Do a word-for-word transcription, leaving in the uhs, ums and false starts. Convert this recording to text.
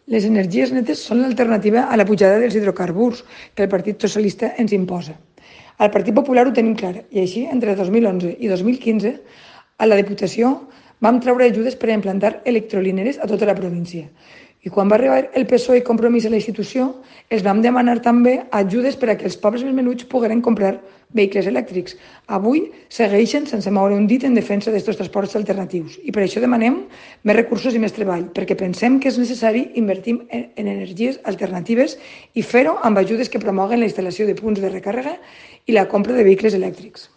Les energies netes són l'alternativa a la pujada dels hidrocarburs que el Partit Socialista ens imposa. Al Partit Popular ho tenim clar, i així, entre dos mil onze i dos mil quinze, a la Diputació vam treure ajudes per a implantar electrolineres a tota la província. I quan va arribar el P S O E i Compromís a la institució, els vam demanar també ajudes per a que els pobres més menuts pogueren comprar vehicles elèctrics. Avui segueixen sense moure un dit en defensa d'aquests transports alternatius i per això demanem més recursos i més treball, perquè pensem que és necessari invertir en energies alternatives i fer-ho amb ajudes que promoguen la instal·lació de punts de recàrrega i la compra de vehicles elèctrics.